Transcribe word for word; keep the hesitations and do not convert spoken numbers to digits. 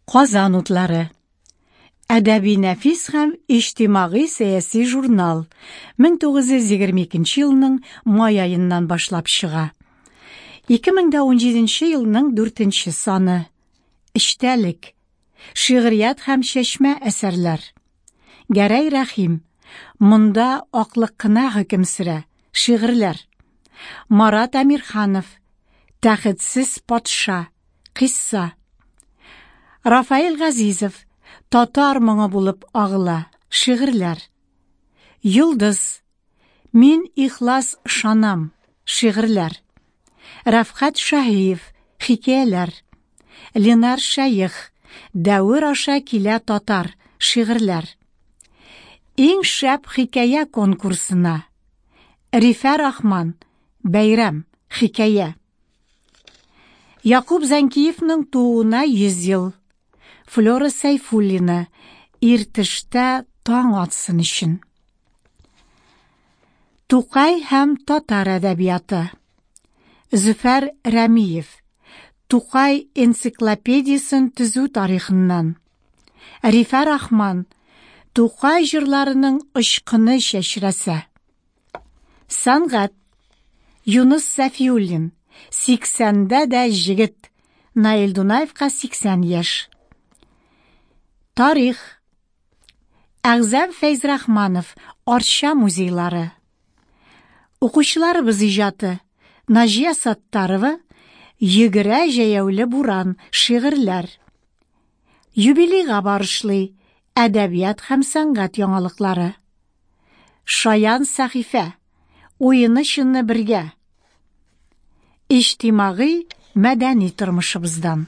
Казан утлары. Әдәби нәфис һәм иҗтимагый-сәяси журнал мең тугыз йөз егерме икенче елның май аеннан башлап чыга. ике мең дә унҗиденче елның дүртенче саны. Эчтәлек. Шигърият һәм чәчмә әсәрләр. Гәрәй Рәхим. Монда аклык кына хөкем сөрә. Шигырьләр. Марат Әмирханов. Тәхетсез патша. Кыйсса. Рафаэль Газизов. Татар моңы булып агыла. Шигырьләр. Йолдыз. Мин ихлас ышанам. Шигырьләр. Рәфкать Шаһиев. Хикәяләр. Ленар Шәех. Дәвер аша килә татар. Шигырьләр. Иң шәп хикәя конкурсына. Рифә Рахман. Бәйрәм. Хикәя. Якуб Зәнкиевның тууына йөз ел. Флора Сәйфуллина. Иртештә таң атсын өчен. Тукай һәм татар әдәбияты. Зөфәр Рәмиев. Тукай энциклопедиясен төзү тарихыннан. Рифә Рахман. Тукай җырларының очкыны чәчрәсә. Сәнгать. Юныс Сафиуллин. Сиксәндә дә җегет. Наил Дунаевка сиксән яшь. Тарих. Әгъзам Фәйзрахманов. Арча музейлары. Укучыларыбыз иҗаты. Наҗия Саттарова. Йөгерә җәяүле буран. Шигырьләр. Юбилейга барышлый. Әдәбият һәм сәнгать яңалыклары. Шаян сәхифә. Уены чынны бергә. Иҗтимагый мәдәни тормышыбыздан.